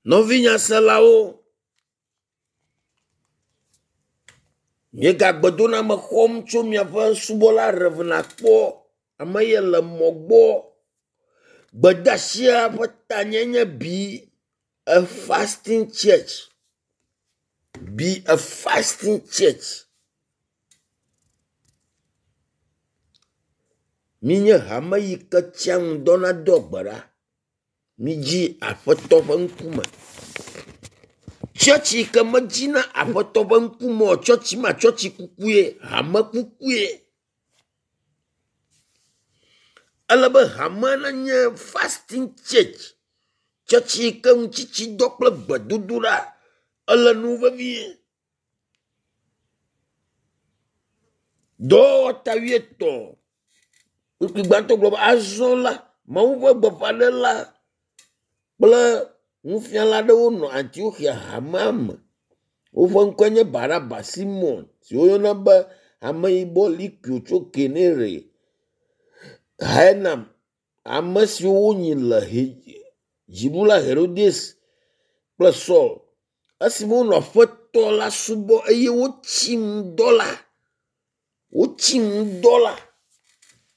Nɔvinyaselawo, míegagbedoname xɔm tso miaƒe subɔla Rev. Akpɔ ame ye le mɔ gbɔ. Gbedeasia ƒe tanye nye be a fasting church. Be a fasting church. Minye hame yi ke tsia ŋu dɔna doa gbe ɖa. Midzi aƒetɔ ƒe ŋkume. Tsɔtsi yi ke medzina aƒetɔ ƒe ŋkume o, tsɔtsi ma tsɔtsi kukue, hame kukue. Ele be hame nanye fasting church. Tsɔtsi yi ke ŋutsitsidɔ kple gbedodoɖa ele nu vevie. Dɔwɔwɔ ta wuietɔ̃ kpukpui gbãtɔ gblɔ be azɔ la Mawu ƒe gbeƒãɖela kple nufiala aɖewo nɔ Antioxia hamea me. Woƒe ŋkɔe nye Baraba, Simɔn si woyɔna be ameyibɔ Likio tso Kenere, Henam, ame siwo wonyi le he dziɖula Herodes kple Saul. Esime wonɔ aƒetɔ la subɔ eye wotsi ŋudɔ la, wotsi ŋudɔ la.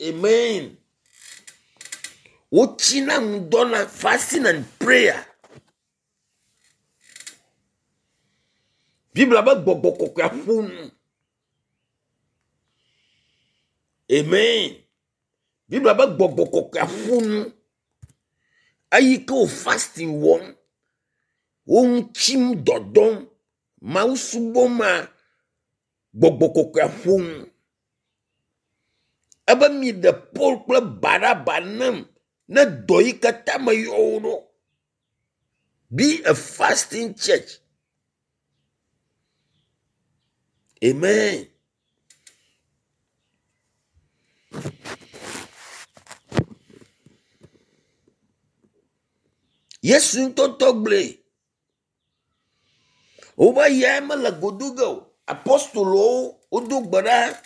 Amen. Wotsina ŋudɔ na fasting and prayer. Biblia be gbɔgbɔ kɔkɔea ƒo nu. Amen. Biblia be gbɔgbɔ kɔkɔea ƒo nu. Eyi ke wo fasting wɔm, wo ŋu tsim dɔdɔm, Mawu subɔm ma, gbɔgbɔ kɔkɔea ƒo nu. Ebe mi ɖe Paul kple Baraba nam ne dɔ yi katã meyɔ wo ɖo. Be a fasting church. Amen. Yesu ŋutɔŋutɔ gblɔe. Wobe yae mele godo ge o. Apɔstolowo wodo gbe ɖa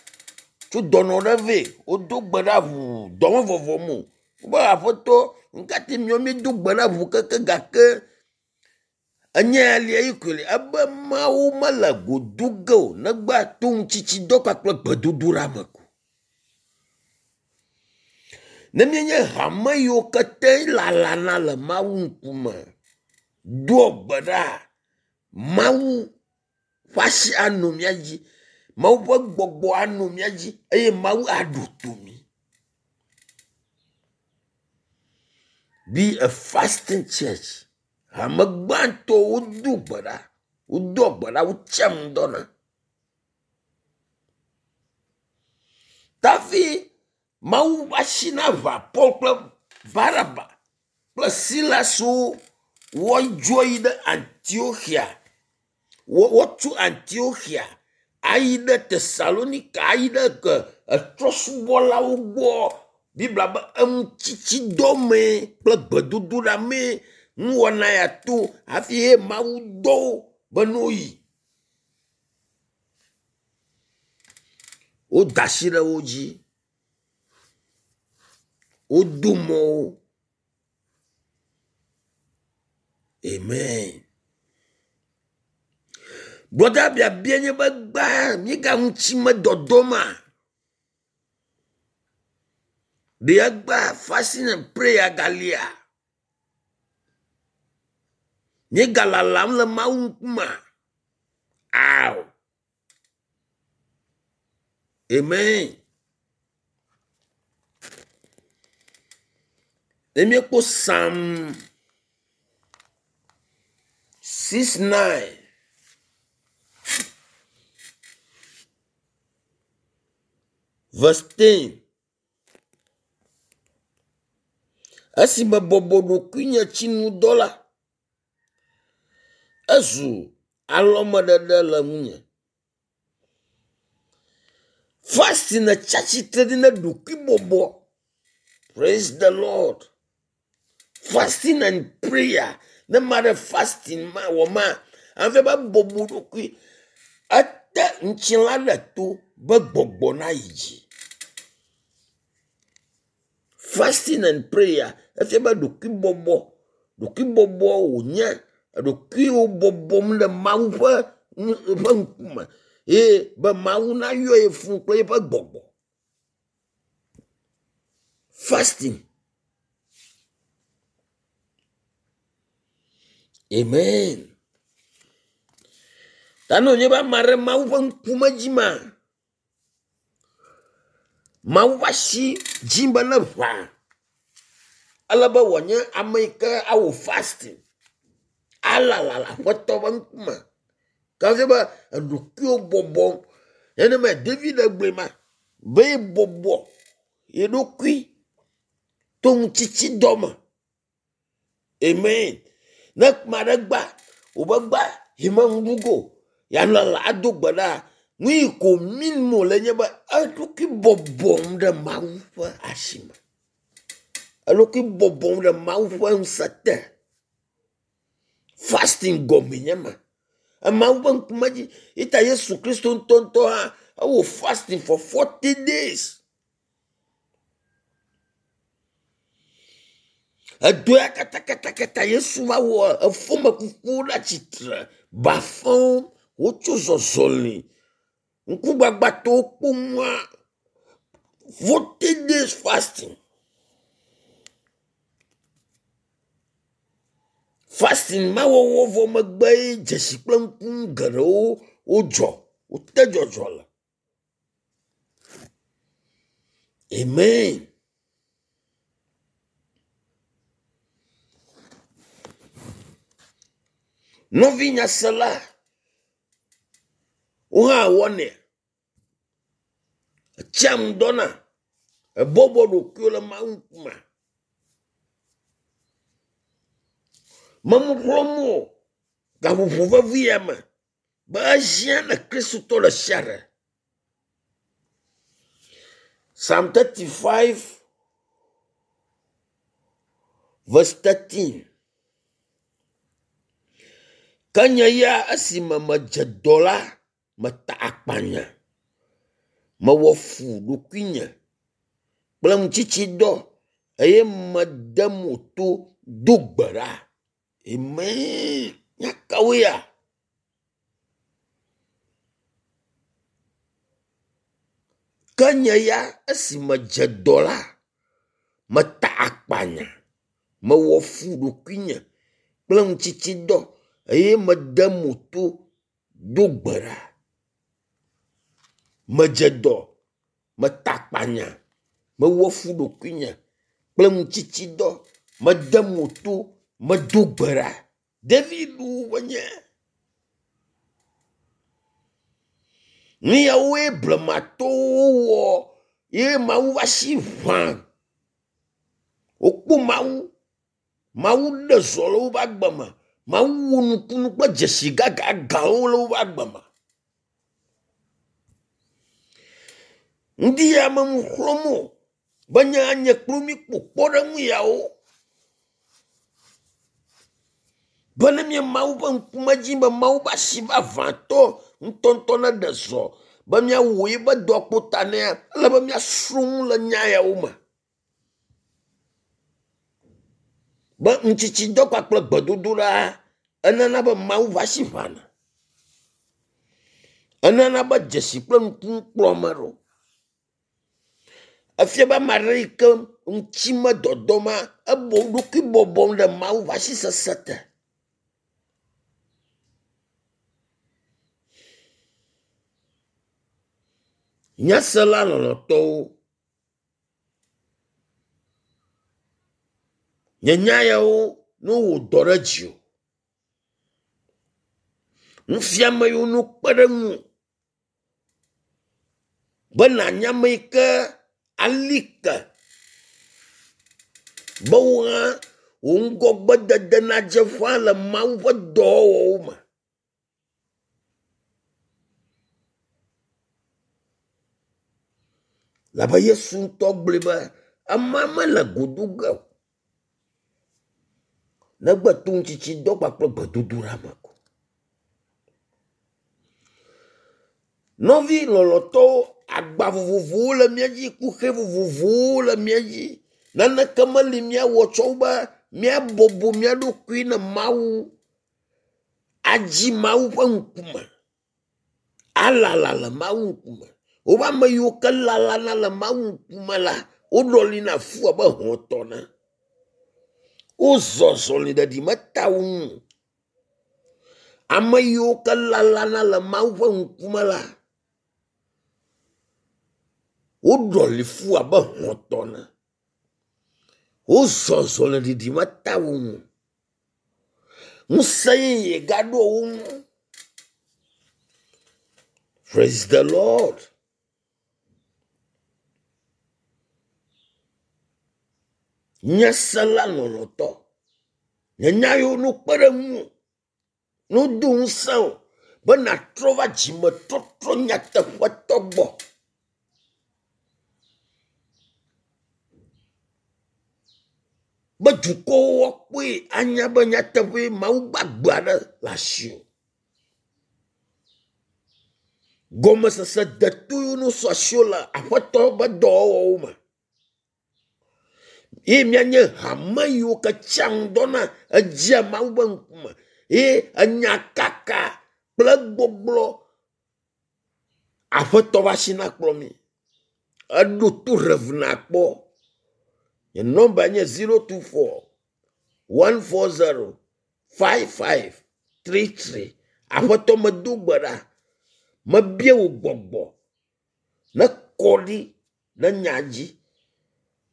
tso dɔnɔ ɖe vɛ. Wodo gbe ɖa ʋuu dɔ me vɔvɔm o. Wobe aƒetɔ nu ka te miawo miedo gbe ɖa ʋuu keke gake enye alia yi koe li. Ebe Mawu mele godo ge o negbe ato ŋutsitsidɔ kpakple gbedodoɖa me ko. Ne míenye hame yiwo kete lalana le Mawu ŋkume doa gbe ɖa, Mawu ƒe asi anɔ mía dzi, Mawu ƒe gbɔgbɔ anɔ mía dzi eye Mawu aɖo to mí. Be a fasting church. Hame gbãtɔwo wodo gbe ɖa, wodoa gbe ɖa, wotsia ŋu dɔna. Tafi Mawu ƒe asi naʋã Paul kple Baraba kple Silaswo woadzo yi ɖe Antioxia. Wotso Antioxia ayi ɖe Tesalonika ayi ɖe ke etrɔsubɔlawo gbɔ. Biblia be eŋutsitsidɔ mee kple gbedodoɖa mee nuwɔna ya to hafi ye Mawu dɔ wo be ne woyi. Woda asi ɖe wo dzi. Wodo mɔ wo. Amen. Gbɔda biabia nye be gbã míegaŋutsi me dɔdɔ ma. Ɖe egbea fasting and prayer galia? Míegalalam le Mawu ŋkumea? Ao. Amen. Ne míekpɔ Psalm 6:9 verse 10. Esime bɔbɔ ɖokuinye tsi nu dɔ la, ezu alɔmeɖeɖe le ŋunye. Fasting tsi atsitre ɖi na ɖokuibɔbɔ. Praise the Lord. Fasting and prayer. Ne ma ɖe fasting ma wɔ ma, ame be bɔbɔ ɖokui. Ete ŋutilã ɖe to be gbɔgbɔ na yi dzi. Fasting and prayer efia be ɖokuibɔbɔ, ɖokuibɔbɔ wònye. Eɖokuiwò bɔbɔm ɖe Mawu ƒe ƒe ŋkume eye be Mawu nayɔ ye fũ kple eƒe gbɔgbɔ. Fasting. Amen. Ta ne wònye be ame aɖe Mawu ƒe ŋkume dzi ma, Mawu ƒe asi dzi be ne ʋã. Ele be wòanye ame yi ke awɔ fasting alala le Aƒetɔ ƒe ŋkume. Ke be eɖokuiwo bɔbɔ nenema David gblɔe ma be yebɔbɔ ye ɖokui to ŋutitsidɔ me. Amen. Ne ame aɖe gba wobe gba yi me nu ɖu go yealala ado gbe ɖa nu yi ko min wòle nye be eɖokui bɔbɔm ɖe Mawu ƒe asi me. Eɖokui bɔbɔm ɖe Mawu ƒe ŋusẽ te. Fasting gɔmee nye ma. Mawu ƒe ŋkume dzi. Ita Yesu Kristo ŋutɔŋutɔ hã ewɔ fasting for 40 days. Edoa katakatakata Yesu va wɔ efome kukuwo ɖe atsitre, bafawo wotso zɔzɔli, ŋkugbagbatɔwo kpɔ nua. 40 days fasting. Fasting ma wɔwɔ vɔ megbe ye dzesi kple ŋkunu geɖewo wodzɔ, wote dzɔdzɔ le. Amen. Nɔvi nyasela, wo hã wɔnɛ. Etsia ŋu dɔna. Ebɔbɔ ɖokuiwo le Mawu ŋkume. Memu xlɔ̃m o gaƒoƒo vevi ya me be ehiã ne Kristotɔ ɖe sia ɖe. Psalm 35 verse 13. Ke nye ya esime medze dɔ la, meta akpanya. Mewɔ fu ɖokuinye kple ŋutsitsidɔ eye mede mo to do gbe ɖa. Amen. Nya kawoe ya? Ke nye ya esi medze dɔ la, meta akpanya. Mewɔ fu ɖokuinye kple ŋutsitsidɔ eye mede mo to do gbe ɖa. Medze dɔ, meta akpanya, mewɔ fu ɖokuinye kple ŋutsitsidɔ, mede mo to, medo gbe ɖa. David wonye. Nu yawoe blematɔwo wɔ ye Mawu va si ʋã. Wokpɔ Mawu. Mawu ɖe zɔ le woƒe agbe me. Mawu wɔ nukunu kple dzesi gãgãgãwo le woƒe agbe me. Ŋdi ya menu xlɔ̃m o be nye anye kplu mi kpo kpɔɖeŋu yawo. Be ne mía Mawu ƒe ŋkume dzi be Mawu ƒe asi vavãtɔ ŋutɔŋutɔ neɖe zɔ be míawɔ eƒe dɔ kpo ta nea, ele be míasrɔ̃ nu le nya yawo me. Be ŋutsitsidɔ kpakple gbedodoɖa enana be Mawu ƒe asi ʋãna. Enana be dzesi kple nukunu kplɔ ame ɖo. Efia be ame aɖe yi ke ŋuti me dɔdɔm ebo ɖokui bɔbɔm ɖe Mawu ƒe asi sesẽ te. Nyasela lɔlɔ̃tɔwo, nye nya yawo ne wowɔ dɔ ɖe dziwò. Nufiame yiwo ne wokpe ɖe ŋuwò be nànya ame yi ke ali ke be wò hã wò ŋgɔgbedede nadze ƒã le Mawu ƒe dɔwɔwɔwo me. Labe Yesu ŋutɔ gblɔe be ema mele go do ge o negbe to ŋutsitsidɔ kpakple gbedodoɖa me ko. Nɔvi lɔlɔ̃tɔwo, agba vovovowo le mía dzi, kuxi vovovowo le mía dzi. Naneke meli míawɔ tsɔ wu be míabɔbɔ mía ɖokui ne Mawu. Adzi Mawu ƒe ŋkume. Alala le Mawu ŋkume. Wobe ame yiwo ke lalana le Mawu ŋkume la, woɖɔlina fu abe hɔ̃ tɔ ene. Wozɔ zɔli ɖeɖi meta wo ŋu o. Ame yiwo ke lalana le Mawu ƒe ŋkume la, woɖɔli fu abe hɔ̃ tɔ ene. Wozɔ zɔli ɖiɖi meta wo ŋu o. Ŋusẽ yeye gaɖo wo ŋu. Praise the Lord. Nye sela lɔlɔ̃tɔ. Nye nya yiwo no kpe ɖe ŋuwò, no do ŋusẽ wò be nàtrɔ va dzimetɔtrɔ nyateƒetɔ gbɔ. Be dukɔwo woakpɔe anya be nyateƒee Mawu gbagbe aɖe le asiwò. Gɔmesese deto yiwo ne su asiwò le Aƒetɔ ƒe dɔwɔwɔwo me. Ye míanye hame yiwo ke tsia ŋdɔ na edzea Mawu ƒe ŋkume ye enyakaka kple egbɔgblɔ Aƒetɔ ƒe asi nakplɔ mi. Eɖo to rev nakpɔ. Nye nɔmba nye 024 140 5533. Aƒetɔ medo gbe ɖa. Mebia wò gbɔgbɔ nekɔ ɖi ɖe nya dzi.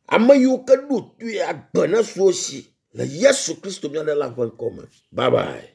Ame yiwo ke ɖo toe agbe nesu wo si le Yesu Kristo mía Ɖela ƒe ŋkɔ me. Bye bye.